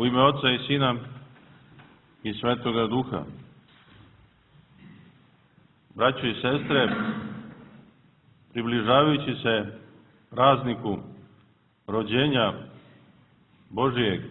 U ime Oca i Sina i Svetoga Duha. Braćo i sestre, približavajući se prazniku rođenja Božijeg,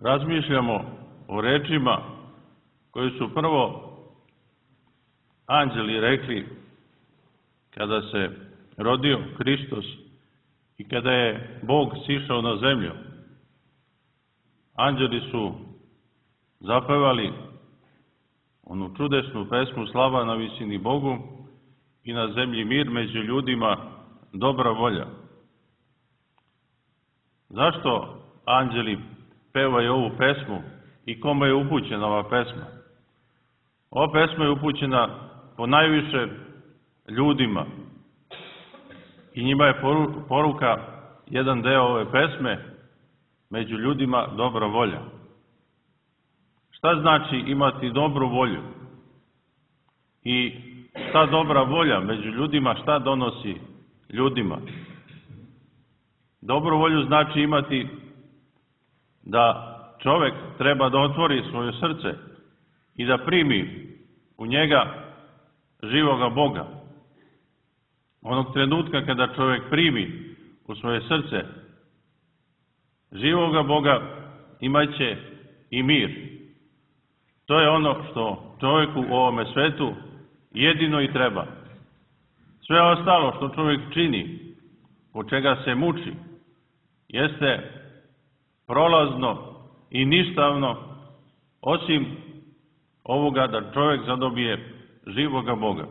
razmišljamo o rečima koje su prvo anđeli rekli kada se rodio Hristos i kada je Bog sišao na zemlju. Anđeli su zapevali onu čudesnu pesmu Slava na visini Bogu i na zemlji mir, među ljudima dobra volja. Zašto anđeli pevaju ovu pesmu i kome je upućena ova pesma? Ova pesma je upućena ponajviše ljudima i njima je poruka, jedan deo ove pesme, među ljudima dobra volja. Šta znači imati dobru volju? I šta dobra volja među ljudima, šta donosi ljudima? Dobru volju znači imati da čovek treba da otvori svoje srce i da primi u njega živoga Boga. Onog trenutka kada čovek primi u svoje srce živoga Boga, imaće i mir. To je ono što čovjeku u ovome svetu jedino i treba. Sve ostalo što čovjek čini, po čega se muči, jeste prolazno i ništavno, osim ovoga da čovjek zadobije živoga Boga.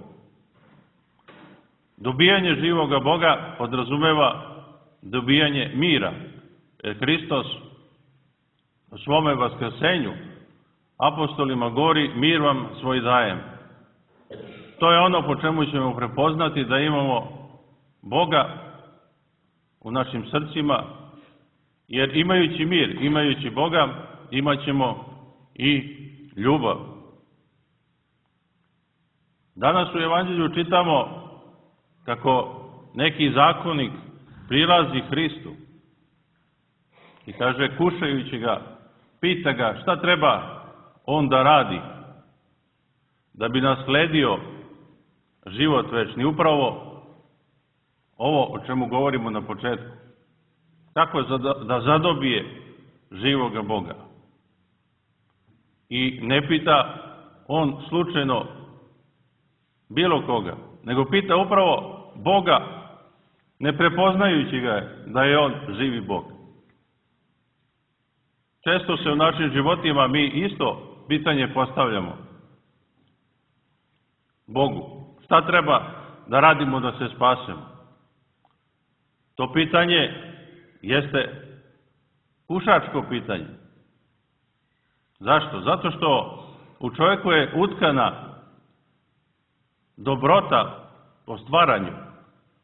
Dobijanje živoga Boga podrazumeva dobijanje mira. Hristos u svome vaskrsenju apostolima govori: mir vam svoj dajem. To je ono po čemu ćemo prepoznati da imamo Boga u našim srcima, jer imajući mir, imajući Boga, imat ćemo i ljubav. Danas u Evanđelju čitamo kako neki zakonik prilazi Hristu i kaže, kušajući ga, pita ga šta treba on da radi da bi nasledio život večni. Upravo ovo o čemu govorimo na početku. Kako da zadobije živoga Boga. I ne pita on slučajno bilo koga, nego pita upravo Boga, ne prepoznajući ga da je on živi Bog. Često se u našim životima mi isto pitanje postavljamo Bogu. Šta treba da radimo da se spasemo? To pitanje jeste kušačko pitanje. Zašto? Zato što u čovjeku je utkana dobrota po stvaranju,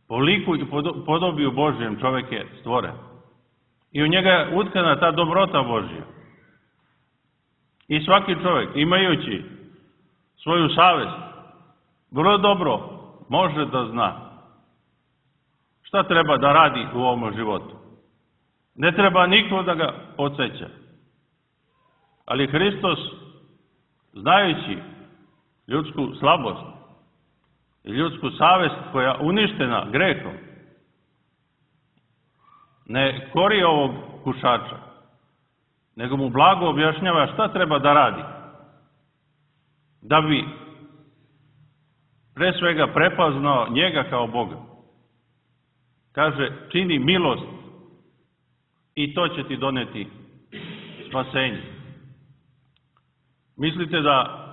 po liku i podobiju Božjem čovjek je stvoren. I u njega je utkana ta dobrota Božja. I svaki čovjek, imajući svoju savest, vrlo dobro može da zna šta treba da radi u ovom životu. Ne treba niko da ga podsjeća. Ali Hristos, znajući ljudsku slabost i ljudsku savest koja je uništena grehom, ne kori ovog kušača, nego mu blago objašnjava šta treba da radi da bi pre svega prepoznao njega kao Boga. Kaže, čini milost i to će ti doneti spasenje. Mislite da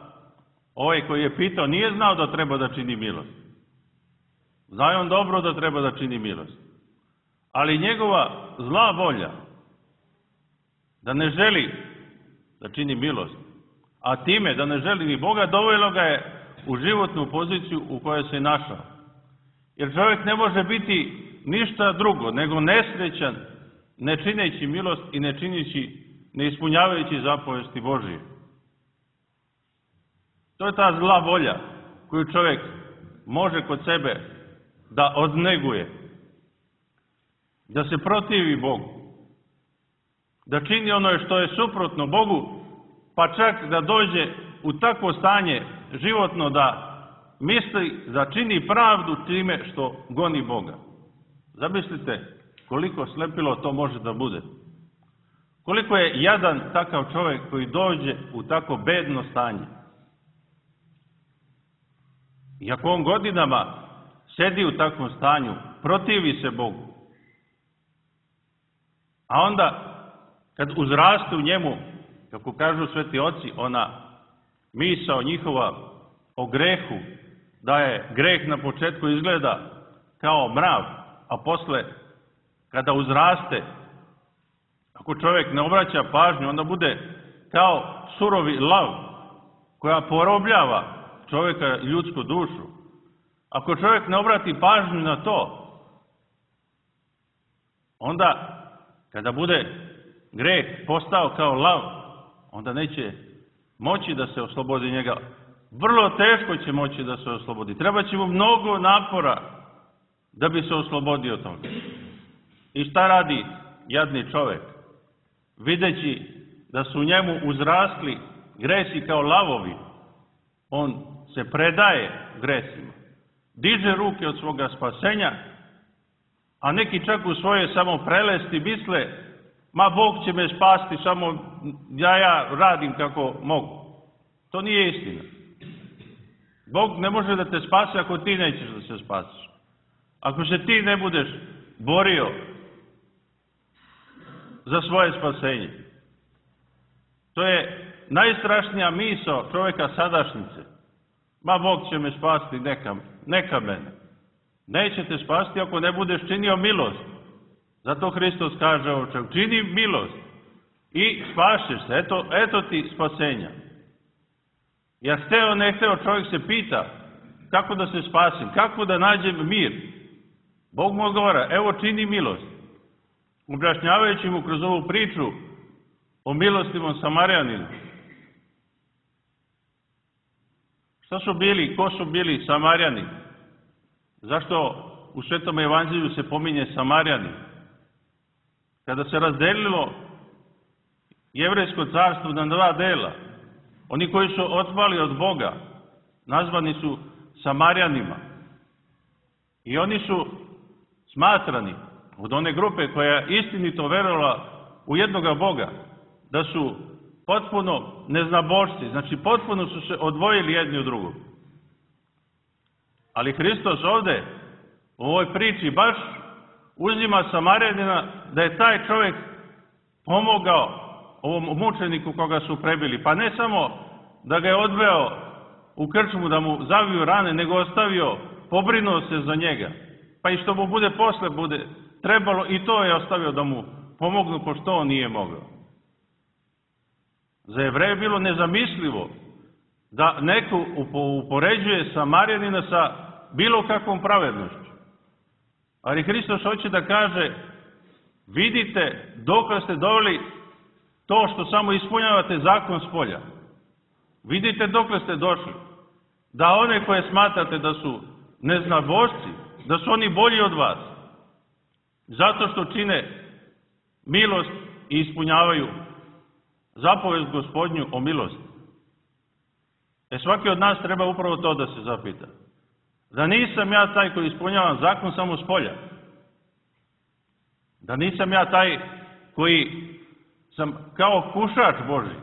ovaj koji je pitao nije znao da treba da čini milost? Zna on dobro da treba da čini milost. Ali njegova zla volja da ne želi da čini milost, a time da ne želi ni Boga, dovelo ga je u životnu poziciju u kojoj se našao. Jer čovjek ne može biti ništa drugo nego nesrećan, ne čineći milost i ne ispunjavajući zapovesti Božije. To je ta zla volja koju čovjek može kod sebe da odneguje, da se protivi Bogu. da čini ono što je suprotno Bogu, pa čak da dođe u takvo stanje životno da misli da čini pravdu time što goni Boga. Zamislite koliko slepilo to može da bude. Koliko je jadan takav čovjek koji dođe u tako bedno stanje. I ako on godinama sedi u takvom stanju, protivi se Bogu, a onda kad uzraste u njemu, kako kažu sveti oci, ona misao njihova o grehu, da je greh na početku izgleda kao mrav, a posle kada uzraste, ako čovjek ne obraća pažnju, onda bude kao surovi lav koja porobljava čovjeka i ljudsku dušu. Ako čovjek ne obrati pažnju na to, onda kada bude greh postao kao lav, onda neće moći da se oslobodi njega. Vrlo teško će moći da se oslobodi. Treba će mu mnogo napora da bi se oslobodio toga. I šta radi jadni čovjek? Videći da su u njemu uzrasli gresi kao lavovi, on se predaje gresima. Diže ruke od svoga spasenja, a neki čak u svoje samo prelesti misle, ma Bog će me spasti, samo ja radim kako mogu. To nije istina. Bog ne može da te spasi ako ti nećeš da se spasiš. Ako se ti ne budeš borio za svoje spasenje. To je najstrašnija misao čovjeka sadašnjice. Ma Bog će me spasti, neka mene. Neće te spasti ako ne budeš činio milost. Zato Hristos kaže ovo čovjek, čini milost i spašeš se. Eto ti spasenja. Jer hteo ne hteo čovjek se pita kako da se spasim, kako da nađem mir. Bog mu odgovara, evo čini milost. Objašnjavajući mu kroz ovu priču o milostivom Samarjaninu. Šta su bili, ko su bili Samarjani? Zašto u Svetom evanđelju se pominje Samarjani? Kada se razdelilo jevrejsko carstvo na dva dela, oni koji su otpali od Boga, nazvani su Samarjanima. I oni su smatrani od one grupe koja je istinito verovala u jednoga Boga, da su potpuno neznabošci, znači potpuno su se odvojili jedni od drugog. Ali Hristos ovde u ovoj priči baš uzima Samarjanina da je taj čovjek pomogao ovom mučeniku koga su prebili. Pa ne samo da ga je odveo u krčmu da mu zaviju rane, nego ostavio, pobrinuo se za njega. Pa i što mu posle bude trebalo, i to je ostavio da mu pomognu, pošto on nije mogao. Za Jevreje je bilo nezamislivo da neko upoređuje Samarjanina sa bilo kakvom pravednošću. Ali Hristos hoće da kaže, vidite dokle ste doveli to što samo ispunjavate zakon s polja. Vidite dokle ste došli. Da one koje smatrate da su neznabošci, da su oni bolji od vas. Zato što čine milost i ispunjavaju zapovest Gospodnju o milosti. Svaki od nas treba upravo to da se zapita. Da nisam ja taj koji ispunjavam zakon samo s polja. Da nisam ja taj koji sam kao kušač Božji.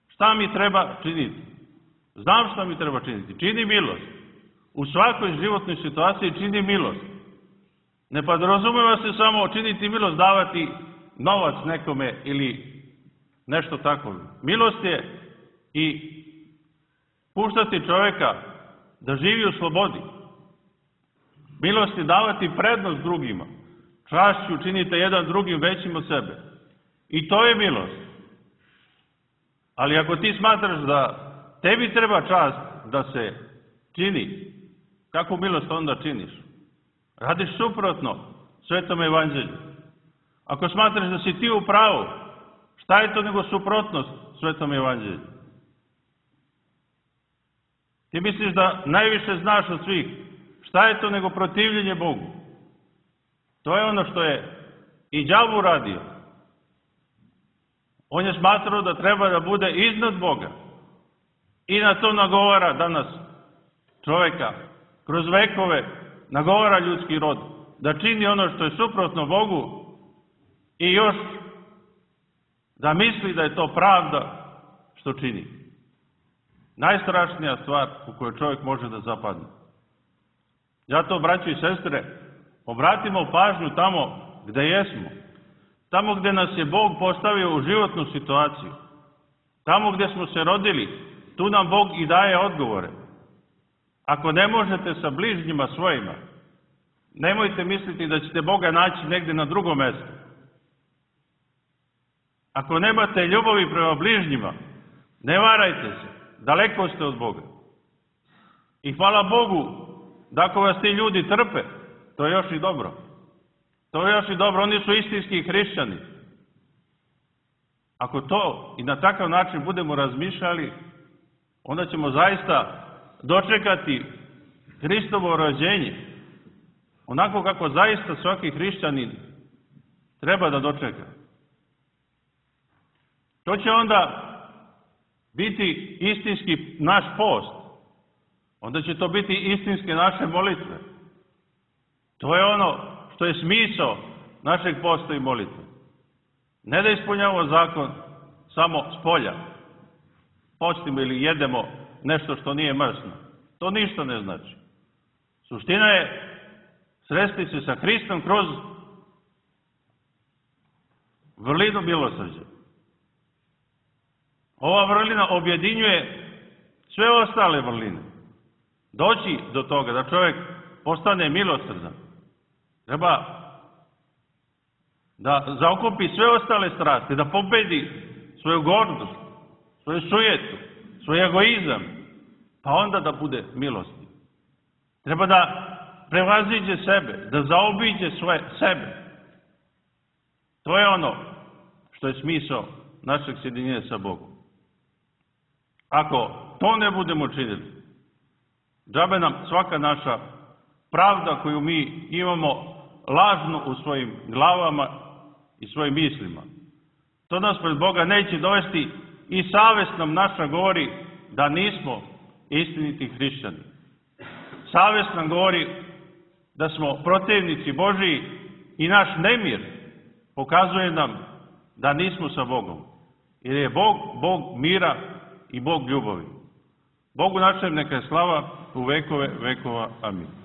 Šta mi treba činiti? Znam šta mi treba činiti. Čini milost. U svakoj životnoj situaciji čini milost. Ne podrazumeva se samo činiti milost, davati novac nekome ili nešto tako. Milost je i puštati čovjeka da živi u slobodi. Milost je davati prednost drugima. Čašću činite jedan drugim većim od sebe. I to je milost. Ali ako ti smatraš da tebi treba čast da se čini, kakvu milost onda činiš? Radiš suprotno Svetom evanđelju. Ako smatraš da si ti u pravu, šta je to nego suprotnost Svetom evanđelju? Ti misliš da najviše znaš od svih. Šta je to nego protivljenje Bogu? To je ono što je i đavo uradio. On je smatrao da treba da bude iznad Boga. I na to nagovara danas čoveka, kroz vekove nagovara ljudski rod, da čini ono što je suprotno Bogu i još da misli da je to pravda što čini. Najstrašnija stvar u kojoj čovjek može da zapadne. Zato, braćo i sestre, obratimo pažnju tamo gde jesmo, tamo gde nas je Bog postavio u životnu situaciju, tamo gde smo se rodili, tu nam Bog i daje odgovore. Ako ne možete sa bližnjima svojima, nemojte misliti da ćete Boga naći negde na drugom mestu. Ako nemate ljubavi prema bližnjima, ne varajte se, daleko ste od Boga. I hvala Bogu da ako vas ti ljudi trpe, to je još i dobro. To je još i dobro, oni su istinski hrišćani. Ako to i na takav način budemo razmišljali, onda ćemo zaista dočekati Hristovo rođenje, onako kako zaista svaki hrišćanin treba da dočeka. To će onda biti istinski naš post, onda će to biti istinske naše molitve. To je ono što je smisao našeg posta i molitve. Ne da ispunjavamo zakon samo s polja, postimo ili jedemo nešto što nije mrsno. To ništa ne znači. Suština je sresti se sa Hristom kroz vrlinu milosrđa. Ova vrlina objedinjuje sve ostale vrline. Doći do toga da čovjek postane milosrdan, treba da zaokupi sve ostale strasti, da pobedi svoju gordost, svoju sujetu, svoj egoizam, pa onda da bude milostiv. Treba da prevaziđe sebe, da zaobiđe sebe. To je ono što je smisao našeg sjedinjenja sa Bogom. Ako to ne budemo činili, džabe nam svaka naša pravda koju mi imamo lažno u svojim glavama i svojim mislima. To nas pred Boga neće dovesti i savest nam naša govori da nismo istiniti hrišćani. Savest nam govori da smo protivnici Božiji i naš nemir pokazuje nam da nismo sa Bogom. Jer je Bog, Bog mira i Bog ljubavi. Bogu našem neka je slava u vekove vekova. Amin.